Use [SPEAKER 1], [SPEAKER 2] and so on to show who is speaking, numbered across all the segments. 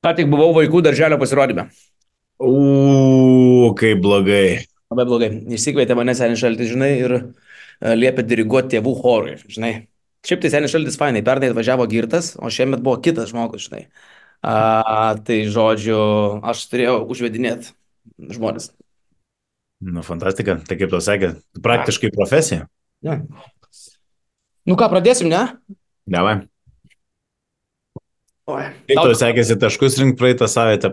[SPEAKER 1] Ką tik buvau vaikų darželio pasirodyme.
[SPEAKER 2] Kaip blogai.
[SPEAKER 1] Labai blogai. Išsikvietė mane senis šaltis, žinai, ir liepė diriguoti tėvų chorui, žinai. Šiaip tai senis šaltis fainai, pernai atvažiavo girtas, o šiemet buvo kitas žmogus, žinai. Tai žodžiu, aš turėjau užvedinėti žmonės.
[SPEAKER 2] Nu, fantastika. Tai kaip tau sakė,
[SPEAKER 1] A,
[SPEAKER 2] praktiškai profesija.
[SPEAKER 1] ne. Nu ką, pradėsim, ne?
[SPEAKER 2] Davai.
[SPEAKER 1] Oi.
[SPEAKER 2] Kaip
[SPEAKER 1] Tau,
[SPEAKER 2] tau sekėsi taškus rinkti praeitą savaitę,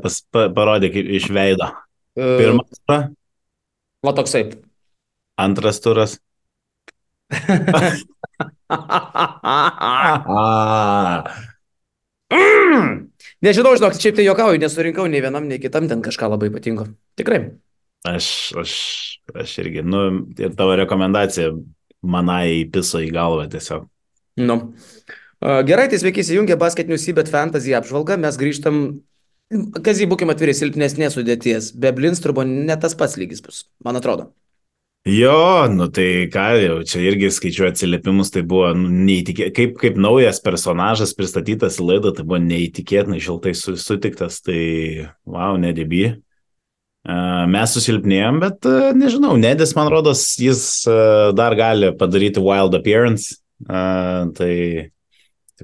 [SPEAKER 2] parodė kaip iš veido.
[SPEAKER 1] uh,
[SPEAKER 2] Pirmas turas,
[SPEAKER 1] va toksai.
[SPEAKER 2] antras turas.
[SPEAKER 1] Nežinau, žinok, šiaip tai juokauju, nesurinkau nei vienam, nei kitam ten kažką labai ypatingo. Tikrai.
[SPEAKER 2] Aš, aš, aš irgi, nu, ir tavo rekomendacija manai piso į galvą tiesiog.
[SPEAKER 1] Nu. Gerai, tai sveiki įsijungę basketinių Sybet Fantasy apžvalgą. Mes grįžtam, kas jį būkime atviri, silpnesnės sudėties. Be Blinstrubo ne tas pats lygis bus, man atrodo.
[SPEAKER 2] Jo, nu tai ką, jau čia irgi skaičiu atsiliepimus, tai buvo kaip naujas personažas pristatytas į laidą, tai buvo neįtikėtinai šiltai sutiktas, tai wow, Nedėby. Mes susilpnėjom, bet nežinau, Nedis, man rodos, jis dar gali padaryti wild appearance, tai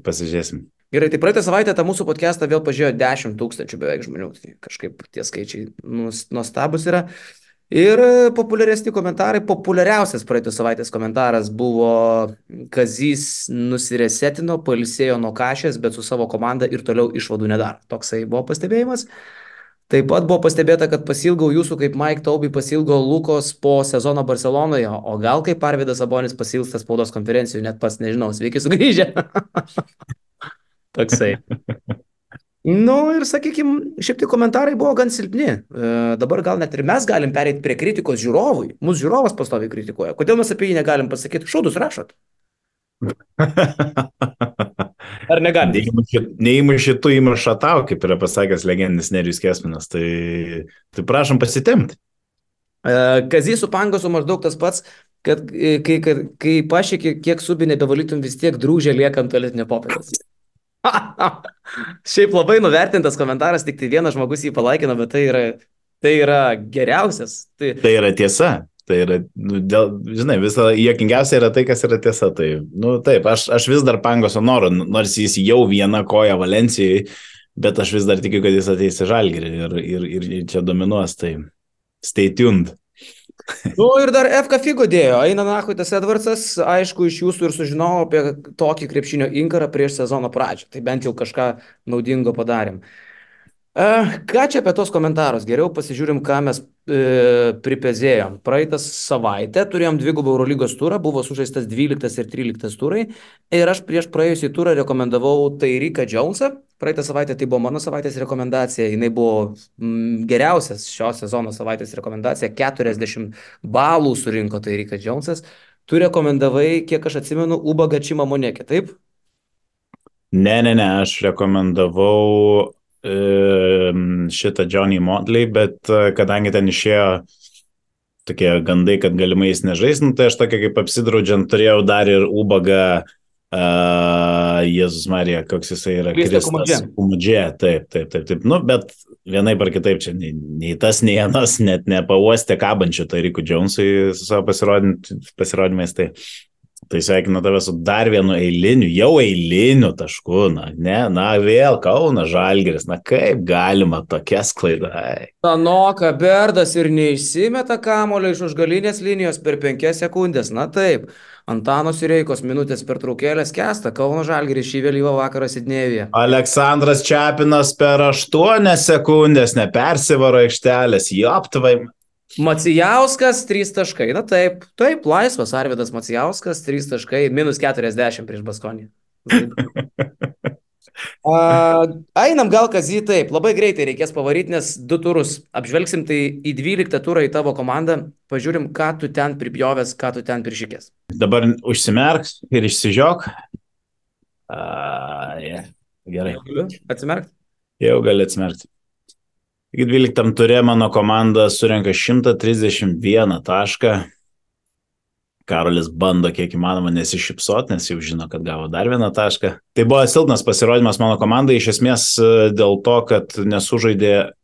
[SPEAKER 2] pasižiūrėsim.
[SPEAKER 1] Gerai, tai praeitą savaitę tą mūsų podcastą vėl pažiūrėjo 10 000 beveik žmonių. Tai kažkaip tie skaičiai nuostabus yra. Ir populiaresni komentarai, populiariausias praeitos savaitės komentaras buvo Kazys nusiresetino, pailsėjo nuo kašės, bet su savo komanda ir toliau išvadų nedaro. Toksai buvo pastebėjimas. Taip pat buvo pastebėta, kad pasilgau jūsų kaip Mike Taubė pasilgo Lukos po sezono Barcelonoje, o gal kaip Arvydas Sabonis pasilgsta spaudos konferencijų, net pats nežinau, sveiki sugrįžę. Toksai. Nu ir sakykime, šiaip tai komentarai buvo gan silpni. Dabar gal net ir mes galim pereiti prie kritikos žiūrovui. Mūsų žiūrovas pastoviai kritikuoja. Kodėl mes apie jį negalim pasakyti, šūdus rašot? Ar negalim?
[SPEAKER 2] Neįmuši tu įmuša tau, kaip yra pasakęs legendinis Nerijus Kesminas, tai prašom pasitemti.
[SPEAKER 1] Kazys su Pangosu maždaug tas pats, kad kai pašėki, kiek subį nebevalytum, vis tiek drūžė lieka ant tualetinio popieriaus. Šiaip labai nuvertintas komentaras, tik tai vienas žmogus jį palaikino, bet tai yra geriausias.
[SPEAKER 2] Tai yra tiesa. Tai yra, žinai, visą juokingiausia yra tai, kas yra tiesa. Tai, taip, aš vis dar Pangoso noriu, nors jis jau viena koja Valencijai, bet aš vis dar tikiu, kad jis ateis į Žalgirį ir čia dominuos. Tai stay tuned.
[SPEAKER 1] Nu ir dar FK Figo dėjo, eina nahui tas Edvardsas, aišku, iš jūsų ir sužinojau apie tokį krepšinio inkarą prieš sezono pradžią, tai bent jau kažką naudingo padarėm. Ką čia apie tos komentarus? Geriau pasižiūrim, ką mes pripezėjom. Praeitą savaitę turėjom dvigubą Eurolygos turą, buvo sužaistas 12 ir 13 turai ir aš prieš praėjusį turą rekomendavau Tyreeką Jonesą. Praeitą savaitę tai buvo mano savaitės rekomendacija, jinai buvo geriausias šio sezono savaitės rekomendacija, 40 balų surinko Tyreekas Jonesas. Tu rekomendavai, kiek aš atsimenu, Ubagą Čimamonekį, taip?
[SPEAKER 2] Ne, aš rekomendavau šitą Johnny Motley, bet kadangi ten išėjo tokie gandai, kad galimai jis nežais, tai aš tokia kaip apsidraudžiant turėjau dar ir Ubagą, Jėzus Marija, koks jisai yra, Kristas Kumudžė, taip, nu, bet vienaip ar kitaip čia nei tas, nei anas net nepauostė kabančių Tyreekui Jonesui su savo pasirodymais, tai sveikinu tave su dar vienu eiliniu tašku, vėl Kaunas Žalgiris, kaip galima tokia sklaida.
[SPEAKER 1] Tanoka Berdas ir neišsimeta kamuolio iš užgalinės linijos per 5 sekundės, na taip. Antano Sireikos minutės pertraukėlės kęsta, Kauno Žalgiris šį vėlyvą vakarą Sidnėjuje.
[SPEAKER 2] Aleksandras Čepinas per 8 sekundės nepersivaro aikštelės, joptvai.
[SPEAKER 1] Macijauskas 3 taškai, na taip, laisvas Arvydas Macijauskas 3 taškai, minus 40 prieš Baskonį. Einam gal Kazį, taip, labai greitai reikės pavaryti, nes 2 turus apžvelgsim, tai į 12 turą į tavo komandą, pažiūrim, ką tu ten pripjovęs, ką tu ten prišykės.
[SPEAKER 2] Dabar užsimerk ir išsižiok. Gerai.
[SPEAKER 1] Atsimerkt?
[SPEAKER 2] Jau gali atsimerkti. 12 turė mano komanda surenka 131 tašką. Karolis bando kiek įmanoma nesišypsot, nes jau žino, kad gavo dar vieną tašką. Tai buvo silpnas pasirodymas mano komandai, iš esmės dėl to, kad nesužaidė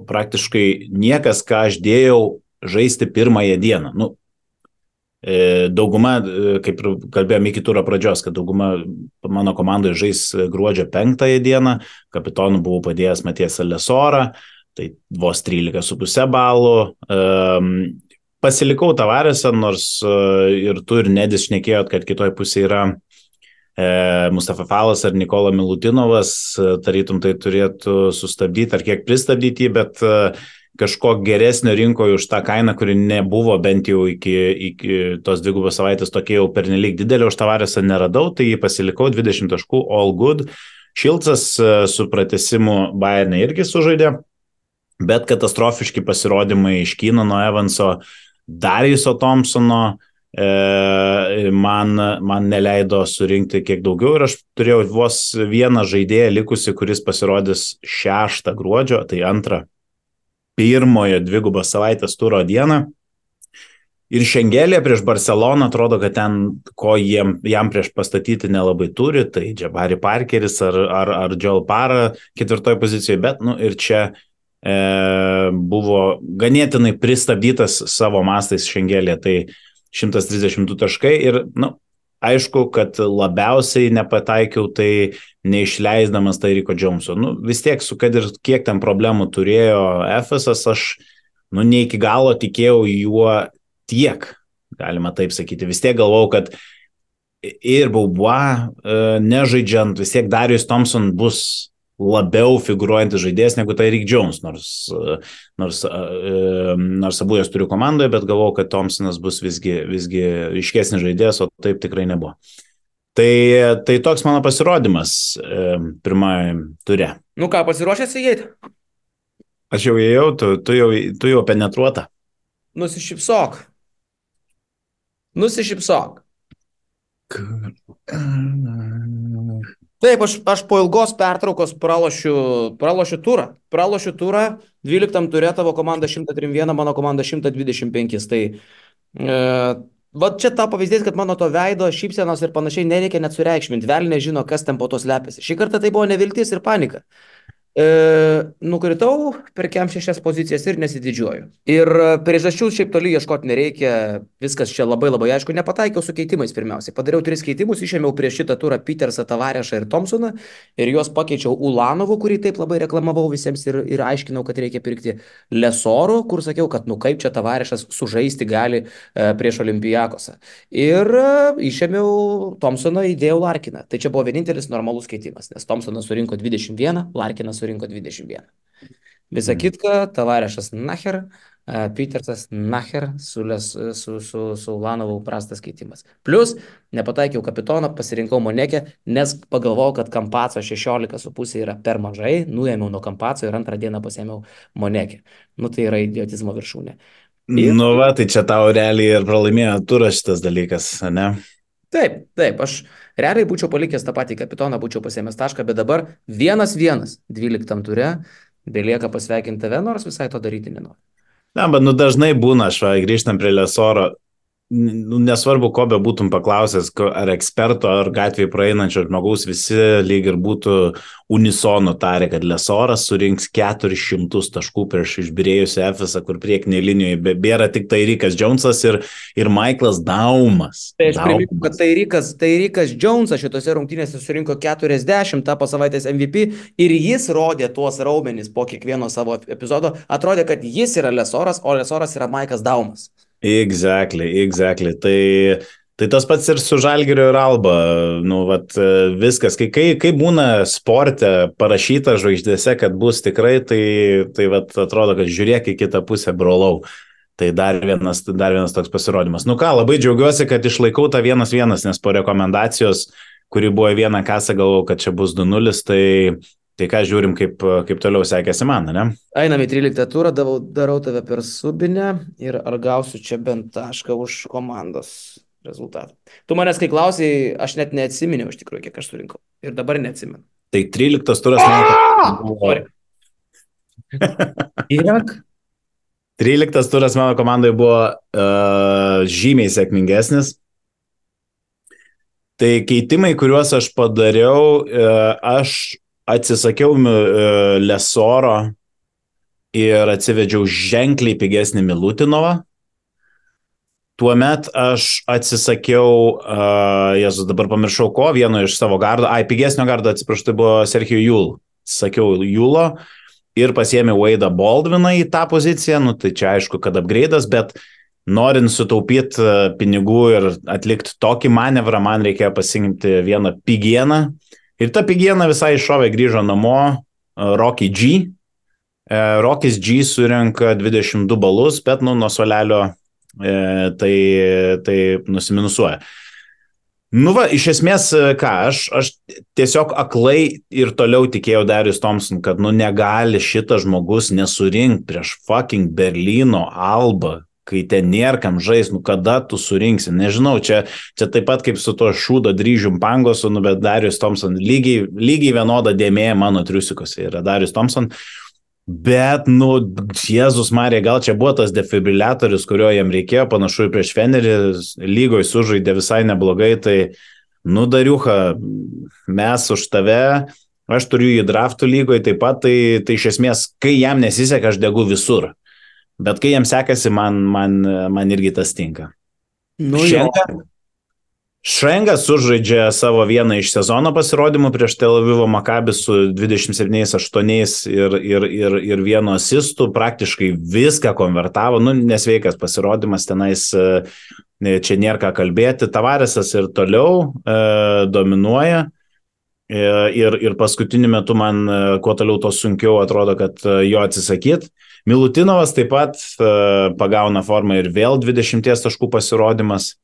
[SPEAKER 2] praktiškai niekas, ką aš dėjau žaisti pirmąją dieną. Dauguma, kaip ir kalbėjome iki turo pradžios, kad dauguma mano komandoje žais gruodžio 5 dieną, kapitonu buvau padėjęs Matijas Lesorą, tai vos 13,5 balų. Pasilikau Tavaresą, nors ir tu ir Nedis šnekėjot, kad kitoj pusėje yra Mustafa Falas ar Nikola Milutinovas, tarytum tai turėtų sustabdyti ar kiek pristabdyti, bet kažko geresnio rinkoje už tą kainą, kuri nebuvo bent jau iki tos 2 savaitės tokia jau pernelyg didelė, už Tavaresą neradau, tai jį pasilikau 20 taškų, all good. Šilcas su pratęsimu Bayerne irgi sužaidė, bet katastrofiški pasirodymai iš Keenano Evanso, Dariuso Thompsono man neleido surinkti kiek daugiau ir aš turėjau vos vieną žaidėją likusi, kuris pasirodys 6 gruodžio, tai 1 2 savaitės turo dieną. Ir Šengelė prieš Barceloną atrodo, kad ten, ko jam prieš pastatyti nelabai turi, tai Jabari Parkeris ar Joel Parra 4 pozicijoje, bet ir čia buvo ganėtinai pristabdytas savo mastais Šengelė, tai 132 taškai ir, aišku, kad labiausiai nepataikiau, tai neišleisdamas Tyriko Joneso. Vis tiek, kad ir kiek ten problemų turėjo Efesas, aš, ne iki galo tikėjau juo tiek, galima taip sakyti. Vis tiek galvau, kad ir Beaubois nežaidžiant, vis tiek Darius Thompson bus labiau figuruojantis žaidėjas negu Tyreek Jones, nors abu jas turiu komandoje, bet galvau, kad Thompsonas bus visgi ryškesnis žaidėjas, o taip tikrai nebuvo. Tai toks mano pasirodymas pirmajame ture.
[SPEAKER 1] Ką, pasiruošęs įeiti?
[SPEAKER 2] Aš jau įėjau, tu jau penetruota.
[SPEAKER 1] Nusišypsok. Taip, aš po ilgos pertraukos pralošiu turą. 12 ture tavo komanda 131, mano komanda 125. Tai čia ta pavyzdys, kad mano to veido, šypsenos ir panašiai nereikia net sureikšminti. Velnė žino, kas ten po to slepiasi. Šį kartą tai buvo neviltis ir panika. Nukritau per kem 6 pozicijas ir nesididžiuoju. Ir priežasčių šiaip toli ieškoti nereikia, viskas čia labai aišku, nepataikiau su keitimais pirmiausiai. Padariau 3 keitimus, išėmiau prieš šitą turą Petersą, Tavarešą ir Thompsoną ir juos pakeičiau Ulanovu, kurį taip labai reklamavau visiems ir aiškinau, kad reikia pirkti Lesoru, kur sakiau, kad kaip čia Tavarešas sužaisti gali prieš Olympiakosą. Ir išėmiau Thompsoną, įdėjau Larkiną. Tai čia buvo vienintelis normalus keitimas, nes Thompsonas surinko 21, Larkinas surinko 21. Visa kitka, Tavarešas nacher, Petersas nacher, su Ulanovu prastas keitimas. Plus, nepataikiau kapitoną, pasirinkau Monekę, nes pagalvojau, kad Kampaco 16,5 yra per mažai, nuėmiau nuo Kampaco ir antrą dieną pasėmiau Monekę. Tai yra idiotizmo viršūnė.
[SPEAKER 2] Tai čia tau realiai ir pralaimėjo turas šitas dalykas, ne?
[SPEAKER 1] Taip, aš realiai būčiau palikęs tą patį kapitoną, būčiau pasėmęs tašką, bet dabar 1-1 12 ture, belieka pasveikinti tave, nors visai to daryti nenoriu.
[SPEAKER 2] Bet dažnai būna, grįžtam prie Lesoro, nesvarbu, ko be būtum paklausęs, ar eksperto, ar gatvėje praeinančio žmogaus, visi lyg ir būtų unisonu tarė, kad Lesoras surinks 400 taškų prieš išbyrėjusią Efesą, kur priekinėje linijoje bėra tik Tyreekas Jonesas ir Michaelas Daumas.
[SPEAKER 1] Tai aš primenu, kad Tyreekas Jonesas šitose rungtynėse surinko 40, tapo savaitės MVP ir jis rodė tuos raumenis po kiekvieno savo epizodo. Atrodė, kad jis yra Lesoras, o Lesoras yra Michaelas Daumas.
[SPEAKER 2] Exactly. Tai tas pats ir su Žalgiriu ir Alba. Viskas. Kai būna sporte parašyta žvaigždėse, kad bus tikrai, tai atrodo, kad žiūrėk į kitą pusę, brolau. Tai dar vienas toks pasirodymas. Labai džiaugiuosi, kad išlaikau tą 1-1, nes po rekomendacijos, kuri buvo 1 kasą, galvojau, kad čia bus 2-0, tai ką žiūrim, kaip toliau sekėsi man, ne?
[SPEAKER 1] Einam į 13 turą, darau tave per subinę ir ar gausiu čia bent tašką už komandos rezultatą. Tu manęs, kai klausai, aš net neatsiminiau iš tikrųjų, kiek aš surinkau. Ir dabar neatsimenu.
[SPEAKER 2] Tai 13 turas man buvo...
[SPEAKER 1] Kiek?
[SPEAKER 2] 13 turas mano komandai buvo žymiai sėkmingesnis. Tai keitimai, kuriuos aš padariau, aš atsisakiau Lesoro ir atsivedžiau ženkliai pigesnį Milutinovą. Tuomet aš atsisakiau, Jėzus, dabar pamiršau ko, vieno iš savo gardo, pigesnio gardo, atsiprašau, tai buvo Sergio Jul. Sakiau Julo ir pasiėmiau Wade'ą Baldwiną į tą poziciją, nu tai čia aišku, kad upgrade'as, bet norint sutaupyti pinigų ir atlikti tokį manevrą, man reikėjo pasirinkti vieną pigieną. Ir ta pigiena visai iššovė, grįžo namo, Rocky G. Rockys G surenka 22 balus, bet nuo suolelio tai nusiminusuoja. Nu va, iš esmės, ką, aš tiesiog aklai ir toliau tikėjau Darius Thompson, kad negali šitas žmogus nesurinkti prieš fucking Berlyno Albą, kai ten nėra kam žais, kada tu surinksi. Nežinau, čia taip pat kaip su to šūdo dryžium pangosu, bet Darius Thompson lygiai vienoda dėmė mano triusikose yra Darius Thompson. Bet, Jėzus Marija, gal čia buvo tas defibriliatorius, kurio jam reikėjo, panašu ir prieš Fenerį, lygoje sužaidė visai neblogai, tai, Dariucha, mes už tave, aš turiu jį draftų lygoje taip pat, tai iš esmės, kai jam nesiseka, aš degu visur, bet kai jam sekasi, man irgi tas tinka. Šrengas sužaidžia savo vieną iš sezono pasirodymų prieš Tel Avivo Maccabi su 27-8 ir vienu asistu, praktiškai viską konvertavo, nesveikas pasirodymas tenais, čia nėra ką kalbėti, Tavaresas ir toliau dominuoja ir paskutiniu metu man kuo toliau to sunkiau atrodo, kad jo atsisakyti. Milutinovas taip pat pagauna formą ir vėl 20 taškų pasirodymas.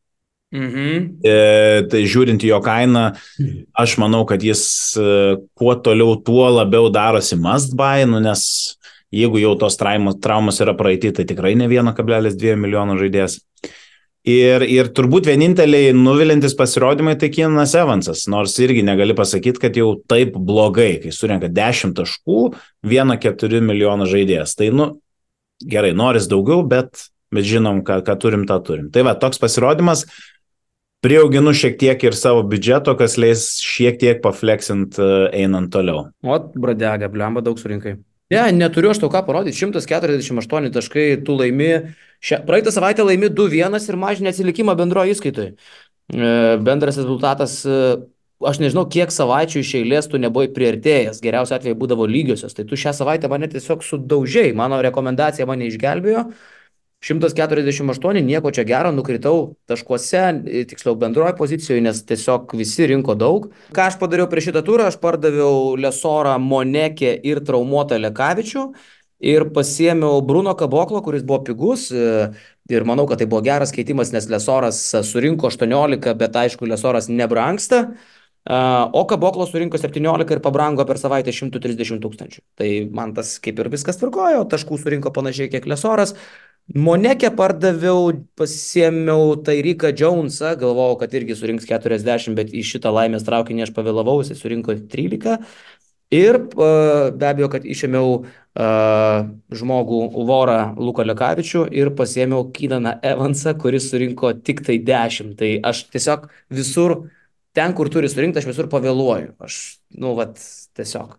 [SPEAKER 2] Tai žiūrint jo kainą, aš manau, kad jis kuo toliau, tuo labiau darosi must buy, nes jeigu jau tos traumos yra praeiti, tai tikrai ne 1,2 milijono žaidėjas. Ir turbūt vieninteliai nuvilintis pasirodymai tai Keenanas Evansas, nors irgi negali pasakyti, kad jau taip blogai, kai surenka 10 taškų, 1,4 milijono žaidėjas. Tai gerai, noris daugiau, bet žinom, ką turim, tą turim. Tai va, toks pasirodymas. Prieauginu šiek tiek ir savo biudžeto, kas leis šiek tiek pafleksint einant toliau.
[SPEAKER 1] Bradega, blemba, daug surinkai. Neturiu aš tau ką parodyti, 148 taškai, tu laimi, praeitą savaitę laimi 2-1 ir mažini atsilikimą bendroje įskaitoje. Bendras rezultatas, aš nežinau, kiek savaičių iš eilės tu nebuvai priartėjęs, geriausiu atveju būdavo lygiosios, tai tu šią savaitę mane tiesiog sudaužiai, mano rekomendacija mane išgelbėjo. 148, nieko čia gero, nukritau taškuose, tiksliau bendroje pozicijoje, nes tiesiog visi rinko daug. Ką aš padariau prieš šitą turą, aš pardaviau Lesorą, Monekę ir traumuotą Lekavičių ir pasiėmiau Bruno Kaboklo, kuris buvo pigus ir manau, kad tai buvo geras keitimas, nes Lesoras surinko 18, bet aišku, Lesoras nebrangsta. O Kaboklo surinko 17 ir pabrango per savaitę 130 000. Tai man tas kaip ir viskas tvarkojo, taškų surinko panašiai kiek Lesoras. Monekę pardaviau, pasiėmiau Tyreeką Jonesą, galvojau, kad irgi surinks 40, bet į šitą laimės traukinį aš pavėlavau, jis surinko 13. Ir be abejo, kad išėmiau žmogų Vorą Luką Lekavičių ir pasiėmiau Keenaną Evansą, kuris surinko tik tai 10. Tai aš tiesiog visur, ten kur turi surinkti, aš visur pavėluoju. Aš, tiesiog.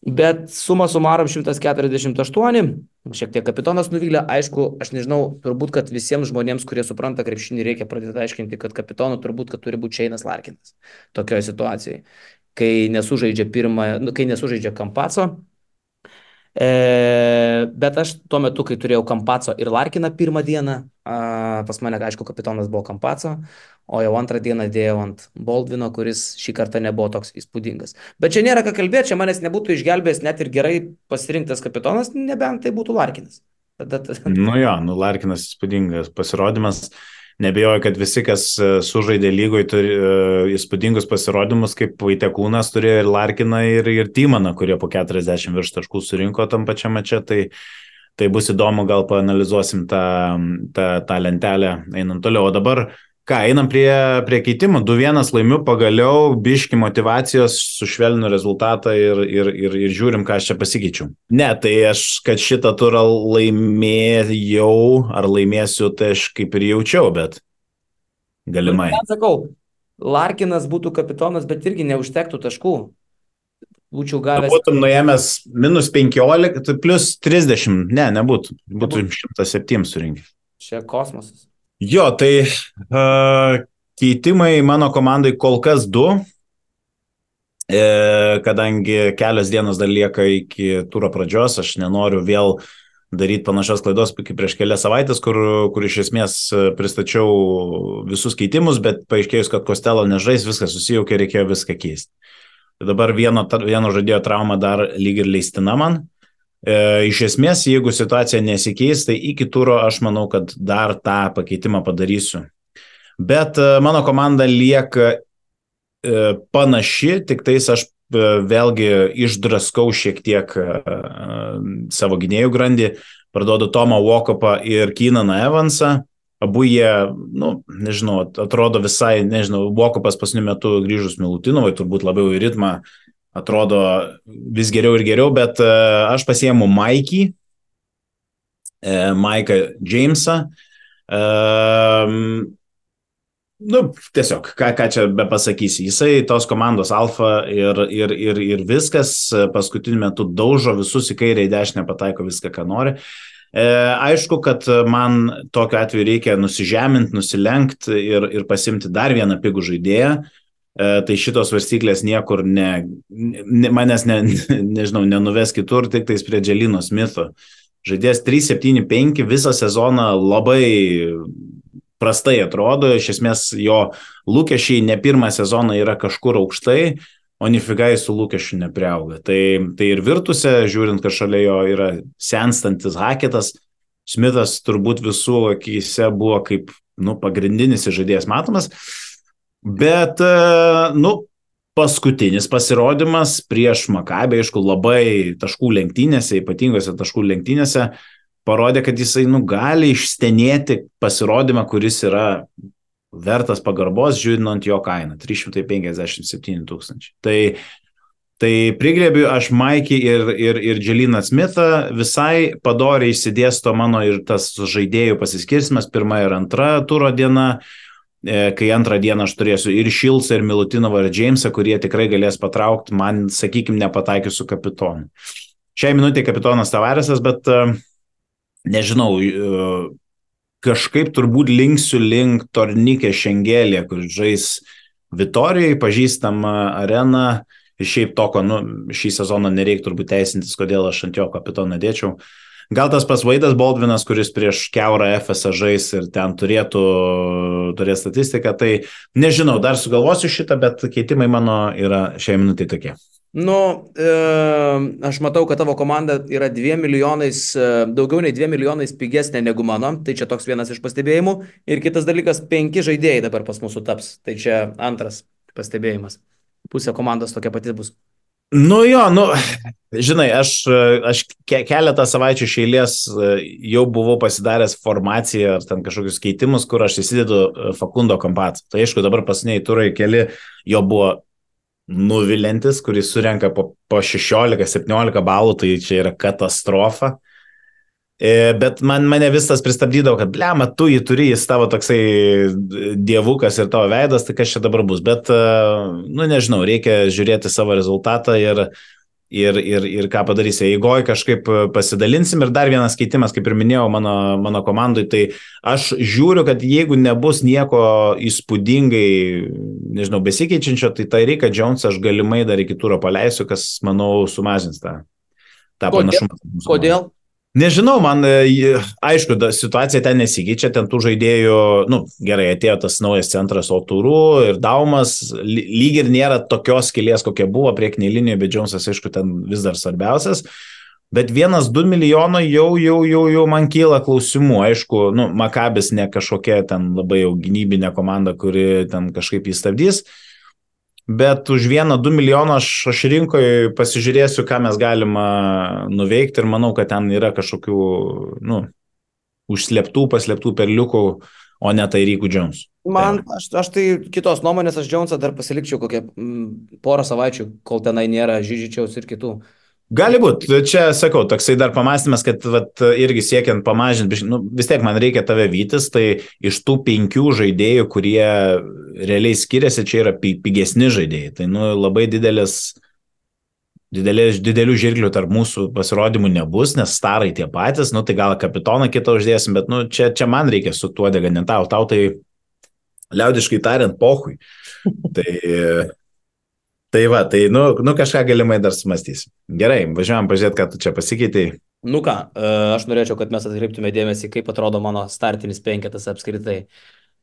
[SPEAKER 1] Bet suma sumarom 148, šiek tiek kapitonas nuvylė, aišku, aš nežinau, turbūt, kad visiems žmonėms, kurie supranta krepšinį, reikia pradėti aiškinti, kad kapitonu turbūt, kad turi būti Shane'as Larkinas tokioje situacijoje, kai nesužaidžia Campazzo. Bet aš tuo metu, kai turėjau Campazzo ir Larkiną pirmą dieną, pas mane, aišku, kapitonas buvo Campazzo, o jau antrą dieną dėjau ant Baldwino, kuris šį kartą nebuvo toks įspūdingas. Bet čia nėra ką kalbėti, čia manęs nebūtų išgelbėjęs net ir gerai pasirinktas kapitonas, nebent tai būtų Larkinas.
[SPEAKER 2] Larkinas įspūdingas pasirodymas. Nebejoju, kad visi, kas sužaidė lygoje, turi įspūdingus pasirodymus, kaip Vaitekūnas turėjo ir Larkiną, ir Tymaną, kurie po 40 virš taškų surinko tam pačiam mače. Tai bus įdomu, gal paanalizuosim tą lentelę einant toliau. O dabar, Ką, einam prie keitimų. 2-1 laimiu, pagaliau biški motivacijos, sušvelninu rezultatą ir žiūrim, ką aš čia pasikeičiu. Ne, tai aš, kad šitą turą laimėjau, ar laimėsiu, tai aš kaip ir jaučiau, bet
[SPEAKER 1] Nu,
[SPEAKER 2] galimai.
[SPEAKER 1] ten sakau, Larkinas būtų kapitonas, bet irgi neužtektų taškų. Būčiau
[SPEAKER 2] Tu
[SPEAKER 1] gavęs.
[SPEAKER 2] būtum nuėmęs -15, tai plus 30, nebūtų. Būtų 107 surinkti.
[SPEAKER 1] Čia kosmosas.
[SPEAKER 2] Jo, tai keitimai mano komandai kol kas 2, kadangi kelios dienos dar lieka iki turo pradžios, aš nenoriu vėl daryti panašios klaidos kaip prieš kelias savaitės, kur iš esmės pristačiau visus keitimus, bet paaiškėjus, kad Kostelo nežais, viskas susijaukė, reikėjo viską keisti. Dabar vieno žaidėjo trauma dar lyg ir leistina man. Iš esmės, jeigu situacija nesikeis, tai iki turo aš manau, kad dar tą pakeitimą padarysiu. Bet mano komanda lieka panaši, tik tais aš vėlgi išdraskau šiek tiek savo gynėjų grandį, parduodu Tomą Walkupą ir Keenaną Evansą. Abu jie, nežinau, atrodo visai, Walkupas pasniu metu grįžus Milutinovai, turbūt labiau į ritmą, atrodo vis geriau ir geriau, bet aš pasiėmu Maiką Jamesą. Tiesiog, ką čia be pasakysi, jisai tos komandos alfa ir viskas, paskutiniu metu daužo visus į kairę, į dešinę, pataiko viską, ką nori. Aišku, kad man tokiu atveju reikia nusižeminti, nusilenkti ir pasimti dar vieną pigų žaidėją. Tai šitos svarstyklės niekur manęs nenuves kitur, tik tais prie Dželino Smitho. Žaidėjas 3-7-5 visą sezoną labai prastai atrodo, iš esmės jo lūkesčiai ne pirmą sezoną yra kažkur aukštai, o nifigai su lūkesčiu nepriauga. Tai ir virtuse, žiūrint, kad šalia jo yra senstantis Haketas, Smithas turbūt visų akyse buvo kaip pagrindinis žaidėjas matomas. Bet, paskutinis pasirodymas prieš Makabį, aišku, labai taškų lenktynėse, ypatingose taškų lenktynėse, parodė, kad jisai, gali išstenėti pasirodymą, kuris yra vertas pagarbos, žiūrint jo kainą, 357 000. Tai prigrėbiu aš Maikį ir Dželiną Smithą, visai padoriai išsidėsto mano ir tas žaidėjų pasiskirstimas, pirma ir antra turo diena, kai antrą dieną aš turėsiu ir Šilsą, ir Milutinovą, ir Jamesą, kurie tikrai galės patraukti, man, sakykime, nepataikius su kapitonu. Šiai minutė kapitonas Tavaresas, bet nežinau, kažkaip turbūt linksiu link Tornikė Šengelė, kur žais Vitorijai, pažįstama arena, ir šiaip toko, šį sezoną nereikia turbūt teisintis, kodėl aš ant jo kapitoną dėčiau. Gal tas pas Vaidas Baldvinas, kuris prieš Keurą FSA žais ir ten turės statistiką, tai nežinau, dar sugalvosiu šitą, bet keitimai mano yra šiai minutė tokie.
[SPEAKER 1] Aš matau, kad tavo komanda yra 2 milijonais, daugiau nei 2 milijonais pigesnė negu mano, tai čia toks vienas iš pastebėjimų. Ir kitas dalykas, 5 žaidėjai dabar pas mūsų taps, tai čia antras pastebėjimas. Pusė komandos tokia pati bus.
[SPEAKER 2] Žinai, aš keletą savaičių iš eilės jau buvau pasidaręs formaciją ar ten kažkokius keitimus, kur aš įsidedu Facundo Campazzo. Tai aišku, dabar pasiniai turai keli jo buvo nuvilintis, kuris surenka po 16-17 balų, tai čia yra katastrofa. Bet mane visas pristabdydavo, kad blema, tu jį turi, jis tavo toksai dievukas ir tavo veidas, tai kas čia dabar bus. Bet, nežinau, reikia žiūrėti savo rezultatą ir ką padarysi. Eigoj kažkaip pasidalinsim ir dar vienas keitimas, kaip ir minėjau, mano komandai, tai aš žiūriu, kad jeigu nebus nieko įspūdingai, nežinau, besikeičiančio, tai Riką Jonesą aš galimai dar iki turo paleisiu, kas, manau, sumažins tą panašumą.
[SPEAKER 1] Kodėl?
[SPEAKER 2] Nežinau, man, aišku, situacija ten nesikeičia, ten tų žaidėjų, gerai, atėjo tas naujas centras Oturu ir Daumas, lyg ir nėra tokios skylės, kokia buvo priekinėje linijoje, bet Jonesas, aišku, ten vis dar svarbiausias, bet 1-2 milijono jau man kyla klausimų, aišku, Makabis ne kažkokia ten labai jau gynybinė komanda, kuri ten kažkaip įstabdys, bet už 1-2 milijoną aš rinkoje pasižiūrėsiu, ką mes galima nuveikti ir manau, kad ten yra kažkokių, paslėptų perliukų, o ne tai Rykų Jones. Tai
[SPEAKER 1] Man,
[SPEAKER 2] va.
[SPEAKER 1] aš tai kitos nuomonės, aš Džonsą dar pasilikčiau kokią porą savaičių, kol tenai nėra Žyžičiaus ir kitų.
[SPEAKER 2] Gali būti, čia sakau, toksai dar pamastymas, kad vat, irgi siekiant pamažinti, nu, vis tiek man reikia tave vytis, tai iš tų 5 žaidėjų, kurie realiai skiriasi, čia yra pigesni žaidėjai. Tai nu, labai didelių žirklių tarp mūsų pasirodymų nebus, nes starai tie patys, nu tai gal kapitoną kitą uždėsim, bet nu, čia man reikia su tuo deganint, tau tai liaudiškai tariant, pohui. Tai, tai va, tai nu kažką galimai dar sumastys. Gerai, važiuojam pažiūrėti, ką tu čia pasikeitėjai.
[SPEAKER 1] Nu ką, aš norėčiau, kad mes atkreiptume dėmesį, kaip atrodo mano startinis penketas apskritai.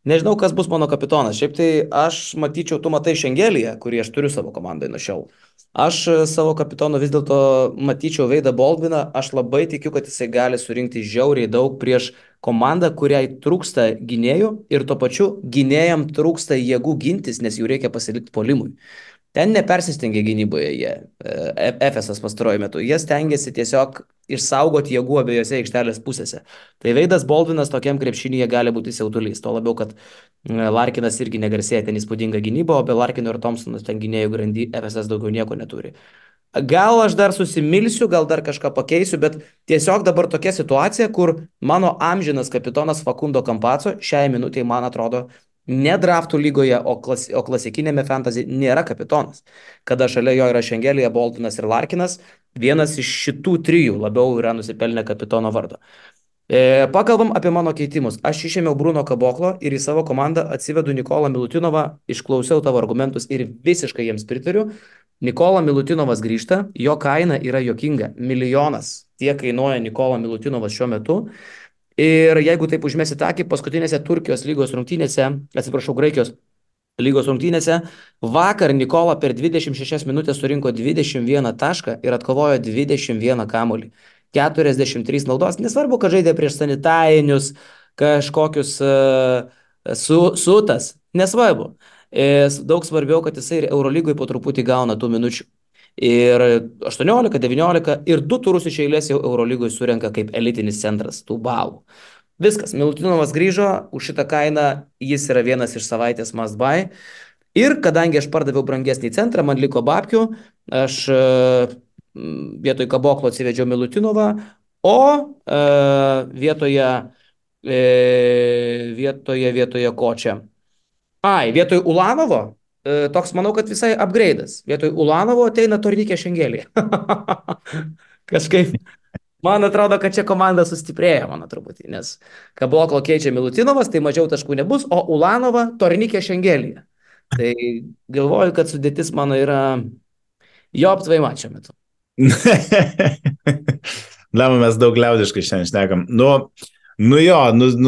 [SPEAKER 1] Nežinau, kas bus mano kapitonas. Šiaip tai aš matyčiau, tu matai Šengelyje, kurį aš turiu savo komandai nuo šiol. Aš savo kapitonu vis dėlto matyčiau Veidą Baldviną. Aš labai tikiu, kad jisai gali surinkti žiauriai daug prieš komandą, kuriai trūksta gynėjų ir tuo pačiu gynėjam trūksta jėgų gintis, nes jų reikia pasilikti polimui. Ten nepersistengia gynyboje jie, Efesas pastaruoju metu. Jie stengiasi tiesiog išsaugoti jėgų abiejose aikštelės pusėse. Tai Veidas Baldvinas tokiam krepšinyje gali būti siautulys. Tuo labiau, kad Larkinas irgi negarsėja ten įspūdinga gynyba, o be Larkino ir Thompsonas ten gynėjų grandy Efesas daugiau nieko neturi. Gal aš dar susimilsiu, gal dar kažką pakeisiu, bet tiesiog dabar tokia situacija, kur mano amžinas kapitonas Facundo Campazzo šiai minutėje, man atrodo, ne draftų lygoje, o klasikinėme fantasy nėra kapitonas. Kada šalia jo yra Šengelija, Boltonas ir Larkinas, vienas iš šitų trijų labiau yra nusipelnę kapitono vardo. Pakalbam apie mano keitimus. Aš išėmiau Bruno Kaboklo ir į savo komandą atsivedu Nikolą Milutinovą, išklausiau tavo argumentus ir visiškai jiems pritariu. Nikola Milutinovas grįžta, jo kaina yra jokinga. Milijonas tiek kainuoja Nikola Milutinovas šiuo metu. Ir jeigu taip užmėsit akį, paskutinėse Turkijos lygos rungtynėse, atsiprašau, Graikijos lygos rungtynėse, vakar Nikola per 26 minutės surinko 21 tašką ir atkovojo 21 kamuolį. 43 naudos, nesvarbu, kad žaidė prieš sanitarinius kažkokius sutas, nesvarbu. Daug svarbiau, kad jisai ir Eurolygoje po truputį gauna tų minučių. Ir 18, 19 ir 2 turus iš eilės jau Eurolygoje surenka kaip elitinis centras tų balų. Viskas, Milutinovas grįžo, už šitą kainą jis yra vienas iš savaitės must buy. Ir kadangi aš pardaviau brangesnį centrą, man liko babkių, aš vietoj Kaboklo atsivedžiau Milutinovą, o vietoje ko čia? Vietoj Ulanovo, toks manau, kad visai upgrade'as. Vietoj Ulanovo ateina Tornikė Šengelė. Kažkaip, man atrodo, kad čia komanda sustiprėjo, mano truputį, nes Kaboklo keičia Milutinovas, tai mažiau taškų nebus, o Ulanova Tornikė Šengelė. Tai galvoju, kad sudėtis mano yra jo aptvai mačio metu.
[SPEAKER 2] Lama, mes daug liaudiškai šiandien šnekam. Nu jo,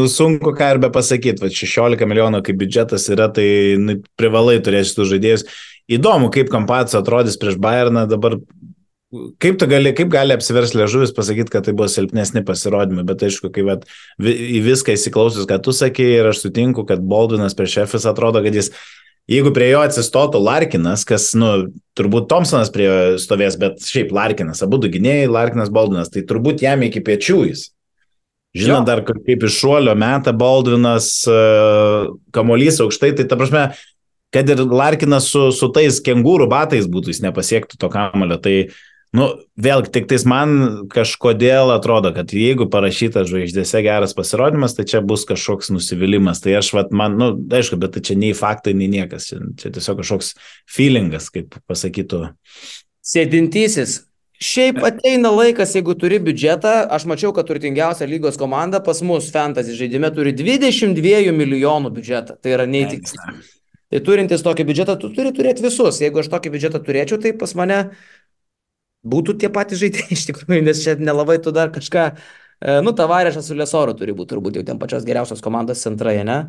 [SPEAKER 2] sunku ką ir be pasakyti, va 16 milijonų kaip biudžetas yra, tai privalai turėsi tų žaidėjus. Įdomu, kaip Campazzo atrodys prieš Bayerną dabar. Kaip gali apsiversti liežuvis pasakyti, kad tai buvo silpnesni pasirodymai, bet aišku, kai į viską įsiklausius, ką tu sakei, ir aš sutinku, kad Baldvinas prieš Efes atrodo, kad jis, jeigu prie jo atsistotų Larkinas, kas, turbūt Thompsonas prie jo stovės, bet šiaip Larkinas, abu du gynėjai, Larkinas, Baldvinas, tai turbūt jam iki pečių jis. Žinot, dar kaip iš šuolio meta Baldvinas, kamuolys aukštai, tai ta prasme, kad ir Larkinas su tais kengūrų batais būtų, jis nepasiektų to kamuolio, tai vėlgi, tik tais man kažkodėl atrodo, kad jeigu parašytas žvaigždėse geras pasirodymas, tai čia bus kažkoks nusivylimas. Tai aš, aišku, bet tai čia nei faktai, nei niekas. Čia tiesiog kažkoks feelingas, kaip pasakytų.
[SPEAKER 1] Sėdintysis. Šiaip ateina laikas, jeigu turi biudžetą, aš mačiau, kad turtingiausia lygos komanda pas mus fantasy žaidime turi 22 milijonų biudžetą. Tai yra neįtikėtina. Tai turintis tokį biudžetą, tu turi turėti visus. Jeigu aš tokį biudžetą turėčiau, tai pas mane būtų tie patys žaidėjai iš tikrųjų, nes čia nelabai tu dar kažką, Tavarešas su Lesoru turi būti turbūt jau ten pačios geriausios komandos centrai, ne?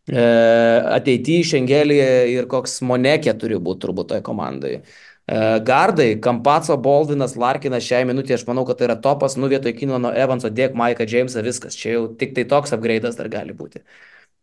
[SPEAKER 1] Ateityje Šengelėje ir koks Monekė turi būti turbūt toje komandai. Gardai, Campazzo, Baldvinas, Larkinas šiai minutė, aš manau, kad tai yra topas, vietoj Kinono Evanso, dėk Maiką Jamesą, viskas, čia jau tik tai toks upgrade'as dar gali būti.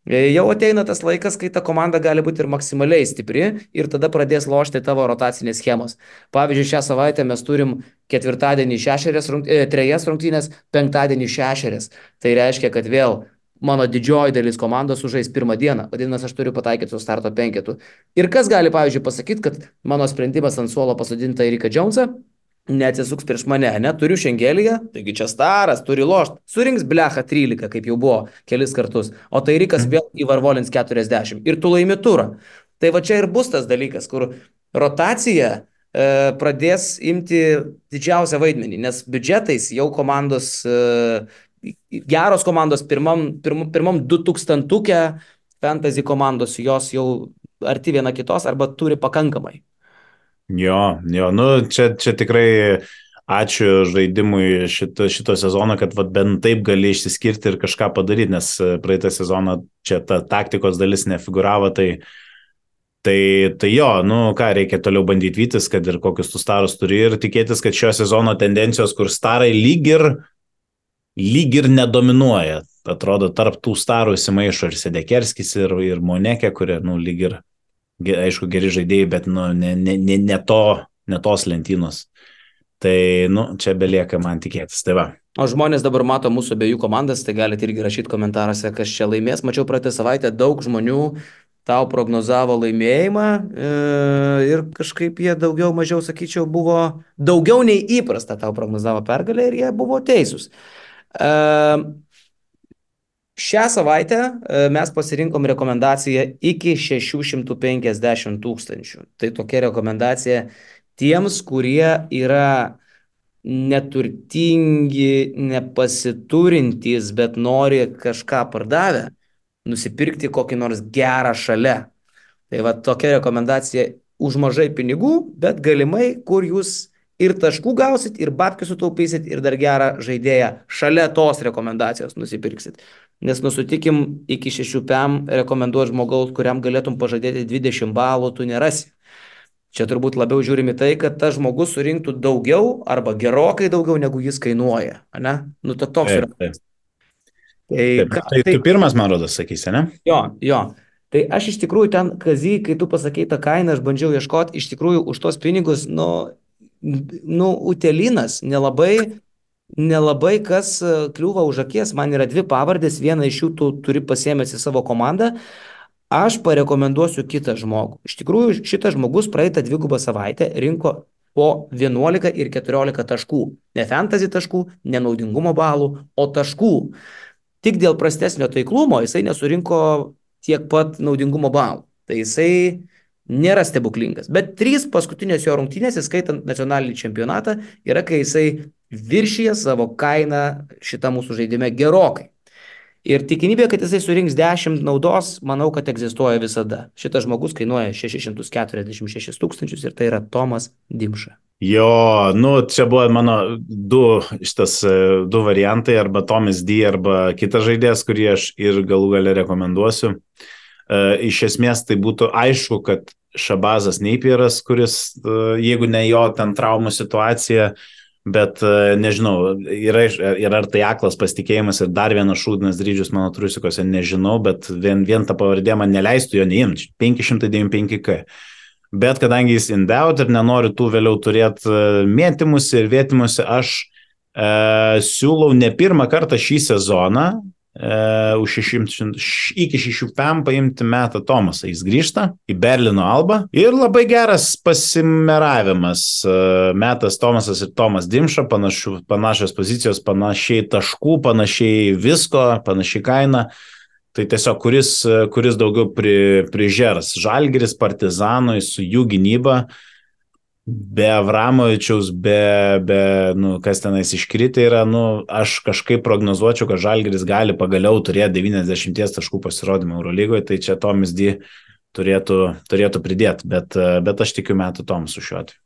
[SPEAKER 1] Jau ateina tas laikas, kai ta komanda gali būti ir maksimaliai stipri ir tada pradės lošti tavo rotacinės schemos. Pavyzdžiui, šią savaitę mes turim ketvirtadienį 3 rungtynės, penktadienį 6. Tai reiškia, kad vėl mano didžioji dalis komandos sužais pirmą dieną, vadinasi, aš turiu pataikyti su starto penketu. Ir kas gali, pavyzdžiui, pasakyti, kad mano sprendimas ant suolo pasodinti Eriką Džonsą neatsisuks prieš mane, neturiu šengelyje, taigi čia staras, turi lošti, surinks blecha 13, kaip jau buvo kelis kartus, o tai Erikas vėl įvarvolins 40 ir tu laimi turą. Tai va čia ir bus tas dalykas, kur rotacija pradės imti didžiausią vaidmenį, nes biudžetais jau komandos, geros komandos pirmam 2000-uke fantasy komandos, jos jau arti viena kitos arba turi pakankamai.
[SPEAKER 2] Jo, nu čia tikrai ačiū žaidimui šito sezono, kad vat, bent taip gali išsiskirti ir kažką padaryti, nes praeitą sezoną čia ta taktikos dalis nefiguravo, tai jo, nu ką, reikia toliau bandyti vytis, kad ir kokius tu starus turi ir tikėtis, kad šio sezono tendencijos, kur starai lyg ir nedominuoja. Atrodo, tarp tų starų įsimaišo ir Sedekerskis, ir Monekė, kurie, nu, lyg ir, aišku, geri žaidėjai, bet, nu, ne tos lentynos. Tai, nu, čia belieka man tikėtis. Tai va.
[SPEAKER 1] O žmonės dabar mato mūsų abiejų komandas, tai galite irgi rašyti komentaruose, kas čia laimės. Mačiau praeitą savaitę daug žmonių tau prognozavo laimėjimą ir kažkaip jie daugiau mažiau, sakyčiau, buvo daugiau nei įprasta tau prognozavo pergalę ir jie buvo teisūs. Šią savaitę mes pasirinkom rekomendaciją iki 650 000. Tai tokia rekomendacija tiems, kurie yra neturtingi, nepasiturintys, bet nori kažką pardavę, nusipirkti kokį nors gerą šalia. Tai va tokia rekomendacija už mažai pinigų, bet galimai, kur jūs ir taškų gausit, ir babkių sutaupysit, ir dar gerą žaidėją šalia tos rekomendacijos nusipirksit. Nes nusutikim, iki 6 PM rekomenduoti žmogaus, kuriam galėtum pažadėti 20 balų, tu nerasi. Čia turbūt labiau žiūrimi tai, kad tas žmogus surinktų daugiau arba gerokai daugiau, negu jis kainuoja. Ne? Nu, toks yra.
[SPEAKER 2] Tai tu pirmas, man rodos, sakysi, ne?
[SPEAKER 1] Jo. Tai aš iš tikrųjų ten, Kazy, kai tu pasakei tą kainą, aš bandžiau ieškoti, iš tikrųjų už tos pinigus, Utelinas, nelabai kas kliūva už akies, man yra 2 pavardės, vieną iš jų tu turi pasiėmęs į savo komandą, aš parekomenduosiu kitą žmogų. Iš tikrųjų, šitas žmogus praeitą 2 savaitę rinko po 11 ir 14 taškų. Ne fantasy taškų, ne naudingumo balų, o taškų. Tik dėl prastesnio taiklumo jisai nesurinko tiek pat naudingumo balų. Tai jisai nėra stebuklingas. Bet 3 paskutinės jo rungtynės, įskaitant nacionalinį čempionatą, yra, kai jisai viršyje savo kainą šitą mūsų žaidime gerokai. Ir tikimybė, kad jisai surinks 10 naudos, manau, kad egzistuoja visada. Šitas žmogus kainuoja 646 000 ir tai yra Tomas Dimša.
[SPEAKER 2] Jo, nu, čia buvo mano 2 variantai, arba Tomas D, arba kitas žaidėjas, kurį aš ir galų gale rekomenduosiu. Iš esmės tai būtų aišku, kad Šabazas Neipieras, kuris, jeigu ne jo ten traumų situacija, bet nežinau, ir ar tai aklas pasitikėjimas ir dar vienas šūdinas dryžius mano trusikose, nežinau, bet vien ta pavardė man neleistų jo neimti, 595K. Bet kadangi jis in doubt ir nenori tų vėliau turėti mėtymusi ir vėtimusi, aš siūlau ne pirmą kartą šį sezoną iki 6 PM paimti Metą Tomasą. Jis grįžta į Berlyno Albą ir labai geras pasimeravimas. Metas Tomasas ir Tomas Dimša, panašios pozicijos, panašiai taškų, panašiai visko, panašiai kaina. Tai tiesiog kuris daugiau prižers. Žalgiris Partizanui su jų gynyba, be Avramovičiaus, kas tenais iškritę yra, aš kažkaip prognozuočiau, kad Žalgiris gali pagaliau turėti 90 taškų pasirodymą Eurolygoje, tai čia Tomas D turėtų pridėti, bet aš tikiu Metų Tomasu šiuo atveju.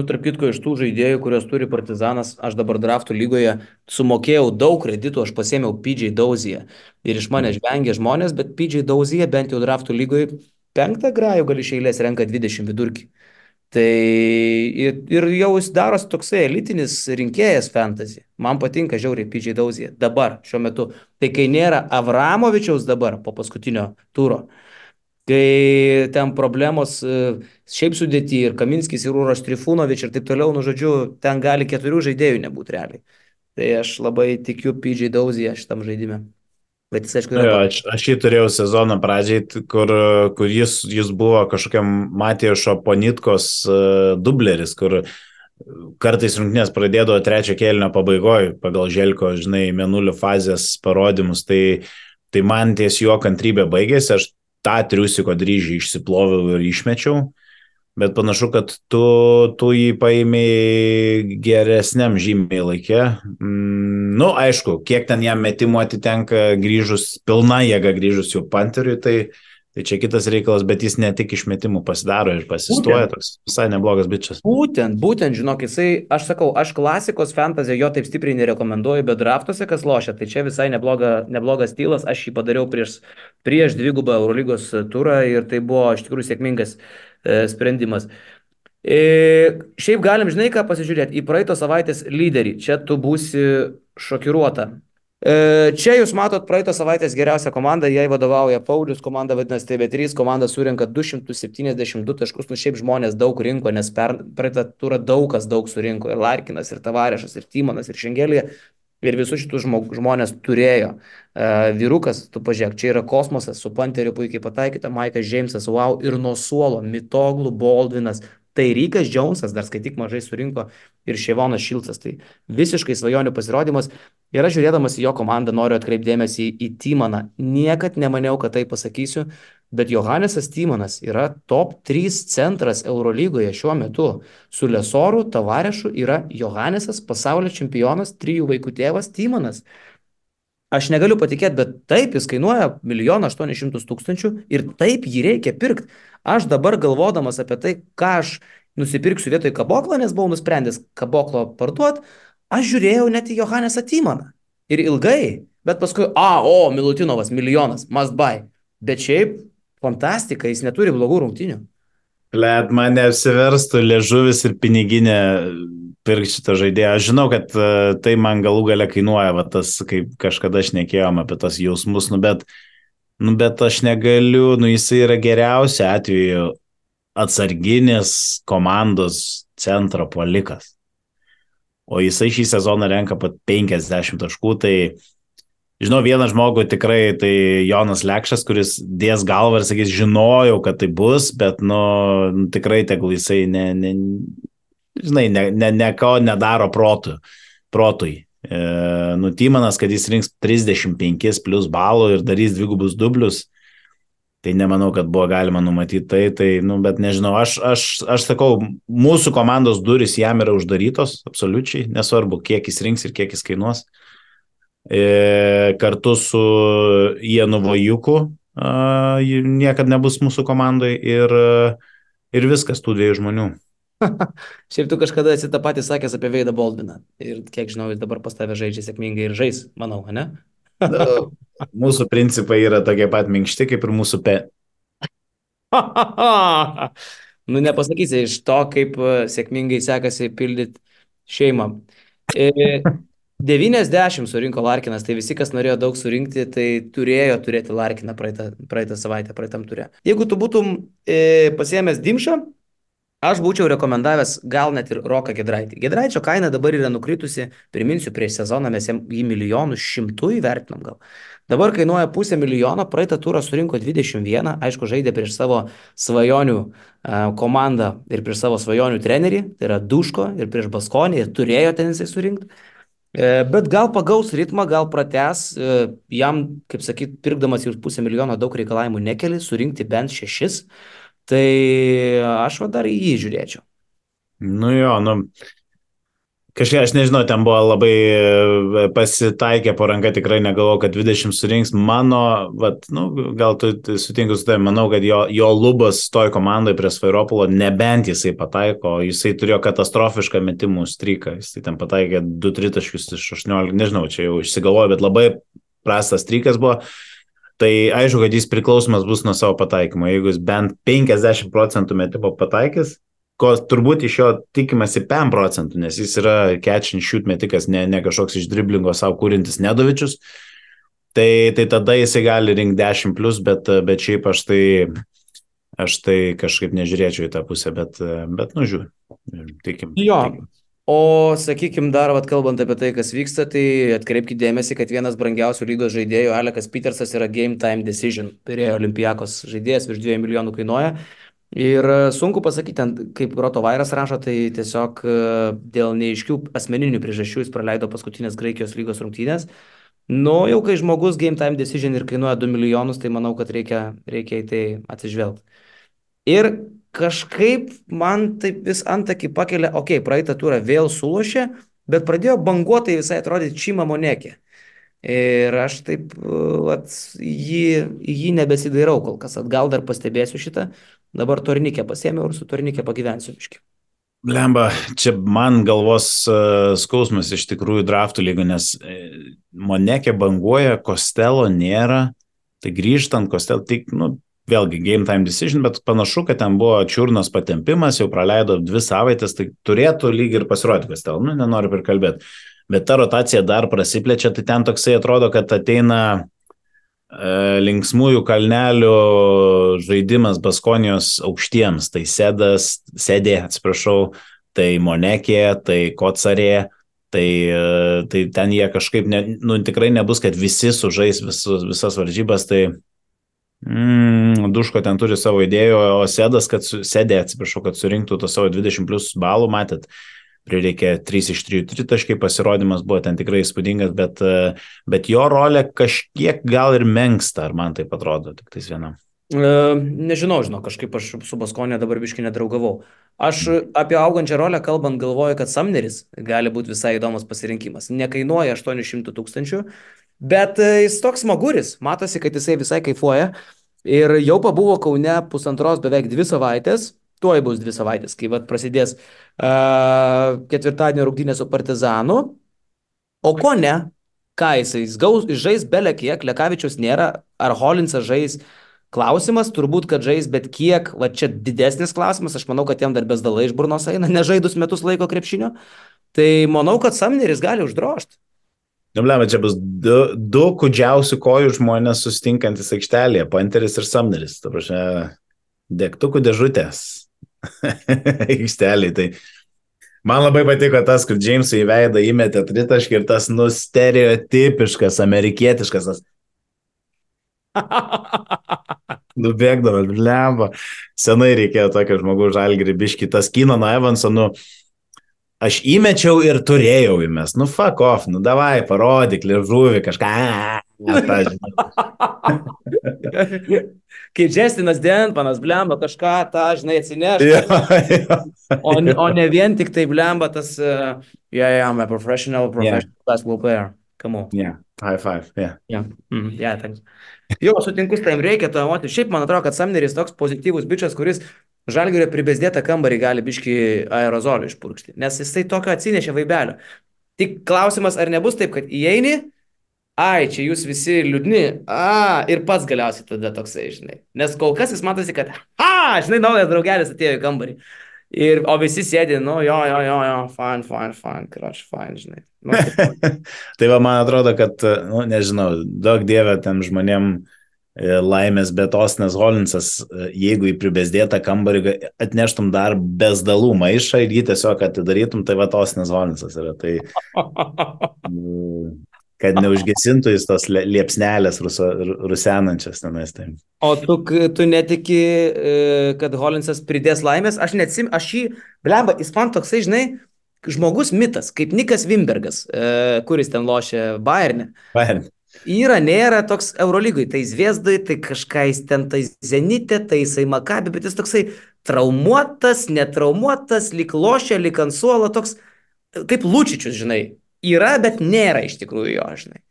[SPEAKER 1] Tarp kitko, iš tų žaidėjų, kurios turi Partizanas, aš dabar draftų lygoje sumokėjau daug kreditų, aš pasėmiau PJ Doziją ir iš mane žvengė žmonės, bet PJ Dozija bent jau draftų lygoje 5 grajų gali iš eilės renka 20 vidurkį. Tai ir jau jis darosi toksai elitinis rinkėjas fantasy. Man patinka žiauriai PJ Dozija dabar, šiuo metu. Tai kai nėra Avramovičiaus dabar po paskutinio turo, kai ten problemos šiaip sudėti ir Kaminskis, ir Uroš Trifunovič ir taip toliau, žodžiu, ten gali 4 žaidėjų nebūti realiai. Tai aš labai tikiu PJ Dozija šitam žaidime. Bet jis, aišku,
[SPEAKER 2] Nu
[SPEAKER 1] yra
[SPEAKER 2] jo, aš jį turėjau sezono pradžiai, kur jis buvo kažkokiam Matijošo Ponitkos dubleris, kur kartais rungtynės pradėdavo trečio kėlinio pabaigoje pagal Želko, žinai, mėnulio fazės parodymus, tai man ties jo kantrybė baigėsi, aš tą triusiko dryžį išsiploviau ir išmečiau. Bet panašu, kad tu jį paėmėjai geresniam žymiai laikė. Nu, aišku, kiek ten jam metimų atitenka grįžus, pilna jėga grįžus jau Panteriui, tai čia kitas reikalas, bet jis ne tik iš metimų pasidaro ir pasistoja,
[SPEAKER 1] būtent.
[SPEAKER 2] toks visai neblogas bičias.
[SPEAKER 1] Būtent, žinok, aš sakau, aš klasikos fantasy jo taip stipriai nerekomenduoju, bet draftuose, kas lošia, tai čia visai neblogas stylas, aš jį padariau prieš dvigubą Eurolygos turą ir tai buvo iš tikrųjų sėkmingas sprendimas. Šiaip galim, žinai ką, pasižiūrėti į praeito savaitės lyderį, čia tu būsi šokiruota. Čia jūs matot praeito savaitės geriausią komandą, jai vadovauja Paulius, komanda vadinasi TV3, komanda surinka 272 taškus, nu šiaip žmonės daug rinko, nes praeitą turą daug surinko, ir Larkinas, ir Tavarešas, ir Timonas, ir Šengelija, ir visus šitus žmonės turėjo. Vyrukas, tu pažiūrėk, čia yra kosmosas, su Panteriu puikiai pataikyta, Maikas Džeimsas, wow, ir nuo suolo, Mitoglų, Baldvinas, tai Rykas Džonsas, dar skaityk mažai surinko, ir Ševonas Šilcas, tai visiškai svajonių pasirodymas. Ir aš žiūrėdamas į jo komandą noriu atkreipdėmėsi į Timaną. Niekad nemaniau, kad tai pasakysiu, bet Johanesas Timanas yra top 3 centras Eurolygoje šiuo metu. Su Lesoru, Tavarešu yra Johanesas, pasaulio čempionas, 3 vaikų tėvas Timanas. Aš negaliu patikėti, bet taip jis kainuoja 1 800 000 ir taip jį reikia pirkti. Aš dabar galvodamas apie tai, ką aš nusipirksiu vietoj Kaboklo, nes buvau nusprendęs Kaboklo parduoti, aš žiūrėjau net į Johanesą Timaną. Ir ilgai, bet paskui, Milutinovas, 1 must buy. Bet šiaip, fantastika, jis neturi blogų rungtynių.
[SPEAKER 2] Let man neapsiverstų liežuvis ir piniginė pirkti šitą žaidėją. Aš žinau, kad tai man galų gale kainuoja, va, tas, kaip kažkada šnekėjom apie tas jausmus, bet aš negaliu, jisai yra geriausia atveju atsarginis komandos centro puolikas. O jisai šį sezoną renka pat 50 taškų, tai žinau vieną žmogų tikrai, tai Jonas Lekšas, kuris dės galvą ir sakys, žinojau, kad tai bus, bet tikrai tegul jisai ko nedaro protui. Timanas, kad jis rinks 35 plus balų ir darys dvigubus dublius, tai nemanau, kad buvo galima numatyti bet nežinau, aš sakau, mūsų komandos duris jam yra uždarytos, absoliučiai, nesvarbu, kiek jis rinks ir kiek jis kainuos. Kartu su Ienu Vajuku niekad nebus mūsų komandoje ir viskas tų 2 žmonių.
[SPEAKER 1] Šiaip tu kažkada esi tą patį sakęs apie Veidą Baldviną ir kiek žinau, jis dabar pas tave žaidžia sėkmingai ir žais, manau, ne?
[SPEAKER 2] Mūsų principai yra tokie pat minkšti kaip ir mūsų
[SPEAKER 1] Nepasakysi iš to, kaip sėkmingai sekasi pildyti šeimą. 90 surinko Larkinas, tai visi, kas norėjo daug surinkti, tai turėjo turėti Larkiną praeitą savaitę, praeitam turė. Jeigu tu būtum pasiėmęs Dimšą, aš būčiau rekomendavęs gal net ir Roką Giedraitį. Giedraičio kaina dabar yra nukritusi, priminsiu, prieš sezoną mes jį 1 100 000 įvertinom gal. Dabar kainuoja 500 000, praeitą turą surinko 21, aišku, žaidė prieš savo svajonių komandą ir prieš savo svajonių trenerį, tai yra Duško ir prieš Baskonį ir turėjo ten jisai surinkti. Bet gal pagaus ritmą, gal pratęs, jam, kaip sakyt, pirkdamas jau 500 000 daug reikalavimų nekeli, surinkti bent 6. Tai aš dar į jį žiūrėčiau.
[SPEAKER 2] Kažkaip, aš nežinau, ten buvo labai pasitaikė po ranka, tikrai negalvoju, kad 20 surinks. Gal tu sutinkus su tai, manau, kad jo lubas toj komandai prie Svairopolo, nebent jisai pataiko, jisai turėjo katastrofišką metimų stryką, jisai ten pataikė 2-3 taškus iš 18, nežinau, čia jau išsigalvoju, bet labai prastas strykas buvo. Tai aišku, kad jis priklausomas bus nuo savo pataikymo. Jeigu jis bent 50% metimo pataikys, ko turbūt iš jo tikimasi 5%, nes jis yra catch and shoot metikas, ne kažkoks iš driblingo savo kūrintis Nedovičius, tai tada jisai gali rinkti 10+, bet šiaip aš tai kažkaip nežiūrėčiau į tą pusę, bet žiūrėjau. Tikim.
[SPEAKER 1] Jo. O, sakykime, dar, vat, kalbant apie tai, kas vyksta, tai atkreipkite dėmesį, kad vienas brangiausių lygos žaidėjų, Alekas Petersas, yra Game Time Decision. Pirėjo Olimpijakos žaidėjas, virš 2 milijonų kainuoja. Ir sunku pasakyti, kaip Roto Vairas rašo, tai tiesiog dėl neaiškių asmeninių priežasčių jis praleido paskutinės Graikijos lygos rungtynės. Nu, jau kai žmogus Game Time Decision ir kainuoja 2 milijonus, tai manau, kad reikia į tai atsižvelgti. Ir kažkaip man taip vis antakį pakelia, okei, praeitą turą vėl sulošė, bet pradėjo banguotai visai atrodyti Čima Monekė. Ir aš taip vat, į jį nebesidairau kol kas, gal dar pastebėsiu šitą. Dabar tornikę pasėmiau ir su tornikė pagyvensiu biški.
[SPEAKER 2] Blemba, čia man galvos skausmas iš tikrųjų draftų lygų, nes Monekė banguoja, Kostelo nėra, tai grįžtant Kostelo, tik, nu, vėlgi Game Time Decision, bet panašu, kad ten buvo čiurnos patempimas, jau praleido 2 savaitės, tai turėtų lyg ir pasirodyti Kostelo, nu, nenoriu prikalbėti, bet ta rotacija dar prasiplečia, tai ten toksai atrodo, kad ateina linksmųjų kalnelių žaidimas Baskonijos aukštiems, tai Sedė, atsiprašau, tai Monekė, tai Kocarė, tai ten jie kažkaip, tikrai nebus, kad visi sužais visas varžybas, tai Duško ten turi savo idėjų, o Sedė, atsiprašau, kad surinktų to savo 20 plus balų, matėt, prireikė 3 iš 3 tritaškai, pasirodymas buvo ten tikrai įspūdingas, bet jo rolė kažkiek gal ir menksta, ar man taip atrodo, tik tais vienam.
[SPEAKER 1] Nežinau, kažkaip aš su Baskonė dabar biškai nedraugavau. Aš apie augančią rolę kalbant galvoju, kad Sumneris gali būti visai įdomus pasirinkimas. Nekainuoja 800 000, bet jis toks smaguris, matosi, kad jisai visai kaifuoja ir jau pabuvo Kaune pusantros, beveik 2 savaitės. Tuoj bus 2 savaitės, kai vat prasidės ketvirtadienio rungtynės su Partizanu. O ko ne? Ką jis žais belė kiek, Lekavičiaus nėra, ar Holinsas žais? Klausimas, turbūt, kad žais, bet kiek, va čia didesnis klausimas, aš manau, kad jam dar bezdalai iš burnos eina, nežaidus metus laiko krepšinio. Tai manau, kad Sumneris gali uždrošti.
[SPEAKER 2] Nublema, čia bus du kudžiausių kojų žmonės sustinkantis aikštelėje, Panteris ir Sumneris. Ta prasme, degtukų dėžutės. Aikšteliai, tai man labai patiko tas, kur Džeimsui į veidą įmetė tritaškį ir tas stereotipiškas, amerikietiškas tas nubėgdavo, blemba. Senai reikėjo tokio žmogaus Žalgirį biškį, tas Keenan Evanso, aš įmečiau ir turėjau įmes, fuck off, davai, parodyk, liežuvį, kažką, tą žinai.
[SPEAKER 1] Kai Justinas Denpanas blemba kažką, tą, žinai, atsinešti. O ne vien tik tai blemba tas, I'm a professional basketball player. Come on.
[SPEAKER 2] Yeah, high five, yeah.
[SPEAKER 1] Yeah, thanks. Jo, sutinku, tam reikia to emoti. Šiaip man atrodo, kad Sumneris toks pozityvus bičias, kuris Žalgirio pribesdėtą kambarį gali biški aerozolį išpurkšti, nes jisai tokio atsinešė vaibelio. Tik klausimas, ar nebus taip, kad įeini, čia jūs visi liūdni, ir pats galiausiai tada toksai, žinai. Nes kol kas jis matosi, kad, žinai, naujas draugelis atėjo į kambarį. O visi sėdi, fine, crush, fine, žinai.
[SPEAKER 2] Tai va, man atrodo, kad, nežinau, daug dievė tam žmonėm laimės, bet Ostinas Holinsas, jeigu į pribesdėtą kambarį atneštum dar bezdalų maišą ir jį tiesiog atidarytum, tai va Ostinas Holinsas yra. Tai kad neužgesintų jis tos liepsnelės rusenančias tenais. Tai.
[SPEAKER 1] O tu netiki, kad Holinsas pridės laimės? Aš jį, blemba, jis man toksai, žinai, žmogus mitas, kaip Nikas Wimbergas, kuris ten lošia Bayerne. Yra, nėra toks Eurolygui, tai Zviesdai, tai kažką jis ten, tai Zenite, tai jisai Makabi, bet jis toksai traumuotas, netraumuotas, lyg lošia, lyg ant suolo, toks kaip Lučičius, žinai. Yra, bet nėra iš tikrųjų jo, žinai.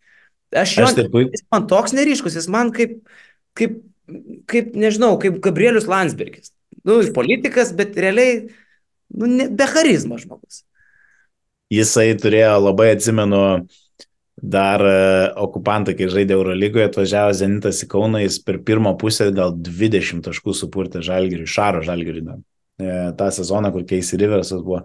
[SPEAKER 1] Jis man toks neryškus, jis man kaip nežinau, kaip Gabrielius Landsbergis. Politikas, bet realiai, be charizmo žmogus.
[SPEAKER 2] Jisai turėjo, labai atsimenu, dar okupantai, kai žaidė Eurolygoje, atvažiavo Zenitas į Kauną, jis per pirmą pusę gal 20 taškų supurtė Žalgiriui, Šaro Žalgiriui. tą sezoną, kur Casey Riversas buvo.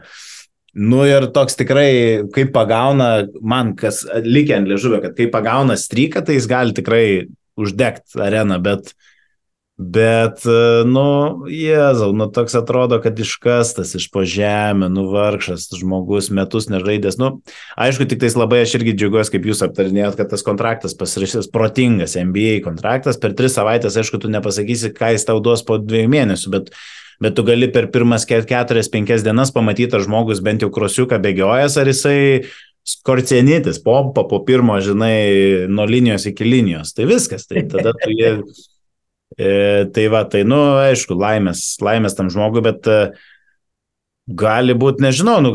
[SPEAKER 2] Nu ir toks tikrai, kaip pagauna, man kas likia ant liežuvio, kad kai pagauna stryką, tai jis gali tikrai uždegti areną, bet Bet, nu, Jėzau, nu, toks atrodo, kad iškastas iš po žemę, nu, vargšas žmogus, metus nežaidęs. Nu, aišku, tik tais labai aš irgi džiaugiuosi, kaip jūs aptarinėjot, kad tas kontraktas pasirašytas protingas NBA kontraktas. Per 3 savaitės, aišku, tu nepasakysi, ką jis tau duos po 2 mėnesių, bet tu gali per pirmas 4-5 dienas pamatyti, ar žmogus bent jau krosiuką bėgiojęs, ar jisai skorcienitis, pompa po pirmo, žinai, nuo linijos iki linijos. Tai viskas, tai tada tu jie. Tai va, tai, nu, aišku, laimės tam žmogui, bet gali būti, nežinau, nu,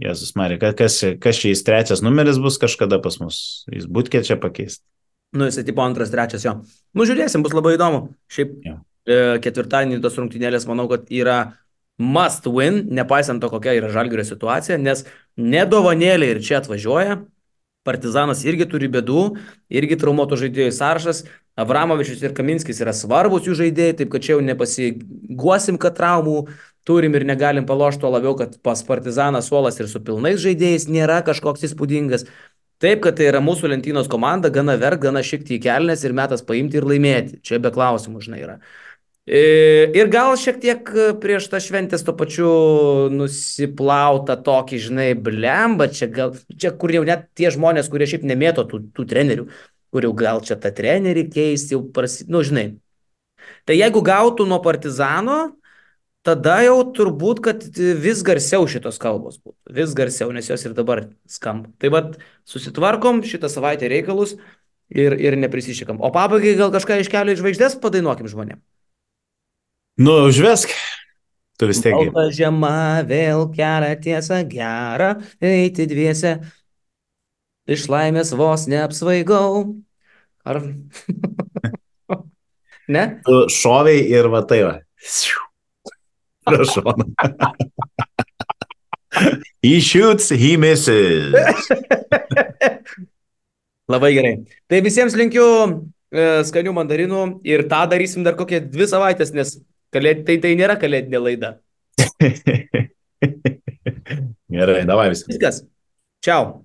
[SPEAKER 2] Jėzus Marija, kas čia jis trečias numeris bus kažkada pas mus, jis būtkė čia pakeisti.
[SPEAKER 1] Nu, jisai tipo antras, trečias jo. Nu, žiūrėsim, bus labai įdomu. Šiaip
[SPEAKER 2] Ja.
[SPEAKER 1] ketvirtadienį tos rungtynėlės, manau, kad yra must win, nepaisant to, kokia yra Žalgirio situacija, nes nedovanėlė ir čia atvažiuoja. Partizanas irgi turi bėdų, irgi traumuotų žaidėjų sąrašas. Avramovičius ir Kaminskis yra svarbus jų žaidėjai, taip kad čia jau nepasiguosim, kad traumų turim ir negalim palošti, tuo labiau, kad pas Partizaną suolas ir su pilnais žaidėjais nėra kažkoks įspūdingas. Taip, kad tai yra mūsų lentynos komanda, gana verk, gana šikti į kelnes ir metas paimti ir laimėti. Čia be klausimų, žinai, yra. Ir gal šiek tiek prieš tą šventės to pačiu nusiplauta tokį, žinai, blemba, čia kur jau net tie žmonės, kurie šiaip nemėto tų trenerių, kur jau gal čia tą trenerį keisti, jau nu, žinai. Tai jeigu gautų nuo Partizano, tada jau turbūt, kad vis garsiau šitos kalbos būtų. Vis garsiau, nes jos ir dabar skamba. Tai vad, susitvarkom šitą savaitę reikalus ir neprisišykam. O pabaigai gal kažką iš kelio į žvaigždės padainuokim žmonėm.
[SPEAKER 2] Nu, užvesk, tu vis tiek.
[SPEAKER 1] Balta žiema vėl kelia tiesą gerą, eiti dviese, iš laimės vos neapsvaigau. Ar... ne?
[SPEAKER 2] Tu šoviai ir va tai va. Prašau. He shoots, he misses.
[SPEAKER 1] Labai gerai. Tai visiems linkiu skanių mandarinų ir tą darysim dar kokią 2 savaitės, nes tai nėra kalėdinė laida.
[SPEAKER 2] Gerai, davai visi.
[SPEAKER 1] Viskas. Čiau.